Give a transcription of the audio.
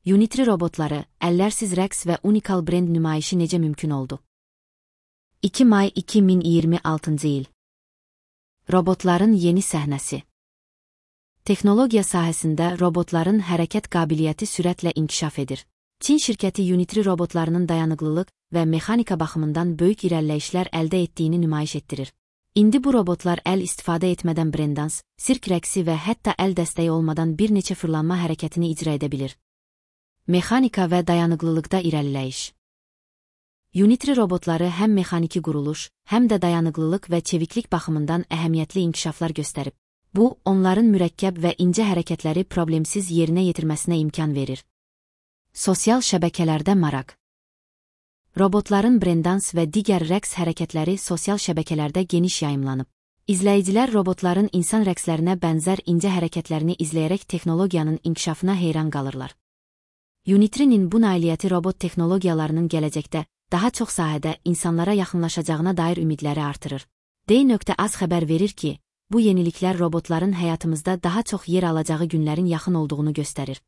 Unitri robotları, əllərsiz rəqs və unikal brend nümayişi necə mümkün oldu? 2 may 2026 il. Robotların yeni səhnəsi. Texnologiya sahəsində robotların hərəkət qabiliyyəti sürətlə inkişaf edir. Çin şirkəti Unitri robotlarının dayanıqlılıq və mexanika baxımından böyük irəliləyişlər əldə etdiyini nümayiş etdirir. İndi bu robotlar əl istifadə etmədən breakdans, sirk rəqsi və hətta əl dəstəyi olmadan bir neçə fırlanma hərəkətini icra edə bilir. Mexanika və dayanıqlılıqda irəliləyiş. Unitri robotları həm mexaniki quruluş, həm də dayanıqlılıq və çeviklik baxımından əhəmiyyətli inkişaflar göstərib. Bu, onların mürəkkəb və incə hərəkətləri problemsiz yerinə yetirməsinə imkan verir. Sosial şəbəkələrdə maraq. Robotların breakdans və digər rəqs hərəkətləri sosial şəbəkələrdə geniş yayımlanıb. İzləyicilər robotların insan rəqslərinə bənzər incə hərəkətlərini izləyərək texnologiyanın inkişafına heyran qalırlar. Unitrinin bu nailiyyəti robot texnologiyalarının gələcəkdə daha çox sahədə insanlara yaxınlaşacağına dair ümidləri artırır. D.Az xəbər verir ki, bu yeniliklər robotların həyatımızda daha çox yer alacağı günlərin yaxın olduğunu göstərir.